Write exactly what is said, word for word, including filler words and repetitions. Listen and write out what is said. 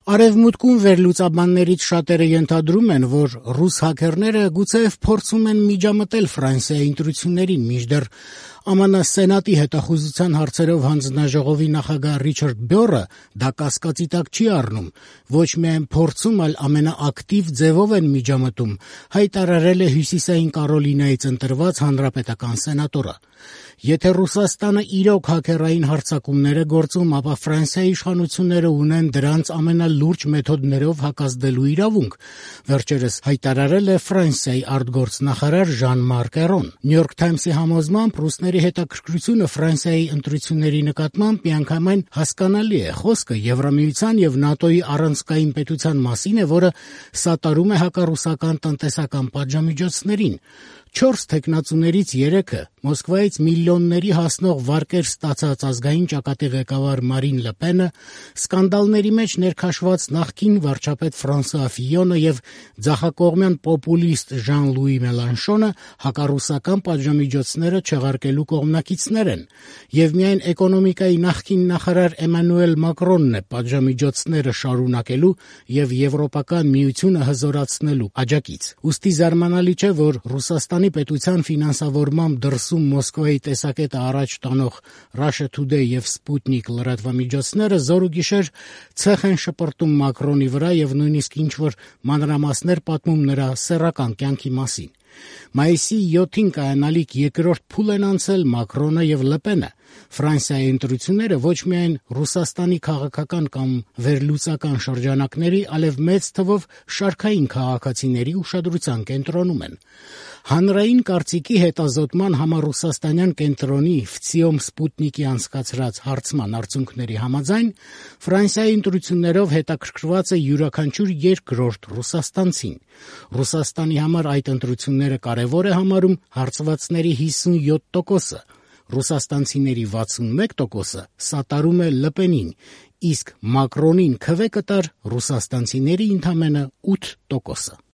Արևմուտքում վերլուծաբաններից շատերը ենթադրում են, որ ռուս հաքերները գուցեև փորձում են միջամտել Ֆրանսիայի ընտրություններին, մինչդեռ ԱՄՆ Սենատի հետախուզության հարցերով հանձնաժողովի նախագահ Ռիչարդ Բյորը դա կասկածի տակ չի առնում, ոչ միայն փորձում, այլ ամենաակտիվ ձևով են միջամտում, հայտարարել է Հյուսիսային Կարոլինայից ընտրված հանրապետական սենատորը։ Եթե Ռուսաստանը իրոք հաքերային հարձակումներ է գործում, ապա Ֆրանսիայի իշխանությունները ունեն դրանց ամենալուրջ մեթոդներով հակազդելու իրավունք, վերջերս հայտարարել է Ֆրանսիայի արտգործնախարար Ժան-Մարկ Էրոն։ New York Times-ի համոզմամբ ռուսների հետաքրքրությունը Ֆրանսիայի ընտրությունների նկատմամբ միանգամայն հասկանալի է։ Խոսքը Եվրամիության եւ ՆԱՏՕ-ի առանցքային պետության մասին է, որը սատարում է հակառուսական տնտեսական պատժամիջոցներին։ Չորս թեկնածուներից երեքը Մոսկվայից միլիոնների հասնող վարկեր ստացած ազգային ճակատի ղեկավար Մարին Լը Պենը, սկանդալների մեջ ներքաշված նախկին վարչապետ Ֆրանսուଆ Ֆիյոնը եւ ձախակողմյան պոպուլիստ Ժան-Լուի Մելանշոնը հակառուսական պատժամիջոցները չեղարկելու կողմնակիցներ են, եւ միայն էկոնոմիկայի նախկին նախարար Էմանուել Մակրոնն է պատժամիջոցները շարունակելու եւ Եվրոպական միությունը հզորացնելու աջակից։ Ուստի զարմանալի չէ, որ Ռուսաստանի պետության ֆինանսավորմամբ դրսում Մոսկվայի տեսակետը առաջ տանող Russia Today եւ Sputnik լրատվամիջոցները զոր ու գիշեր ցեխ են շպրտում Մակրոնի վրա եւ նույնիսկ ինչ-որ մանրամասներ պատմում նրա սեռական կյանքի մասին։ Մայիսի յոթին կայանալիք երկրորդ փուլ են անցել Մակրոնը եւ Լը Պենը։ Ֆրանսիայի ընտրությունները ոչ միայն Ռուսաստանի քաղաքական կամ վերլուծական շրջանակների, այլև մեծ թվով շարքային քաղաքացիների ուշադրության կենտրոնում են։ Հանրային կարծիքի հետազոտման համառուսաստանյան կենտրոնի Վցիոմ Սպուտնիկի անցկացրած հարցման արդյունքների համաձայն Ֆրանսիայի ընտրություններով հետաքրքրված է յուրաքանչյուր երկրորդ ռուսաստանցին։ Ռուսաստանի համար այդ ընտրությունները կարևոր է համարում հարցվածների հիսունյոթ տոկոսը, ռուսաստանցիների վաթսունմեկ տոկոսը սատարում է Լը Պենին, իսկ Մակրոնին քվե կտար ռուսաստանցիների ընդամենը ութ տոկոսը։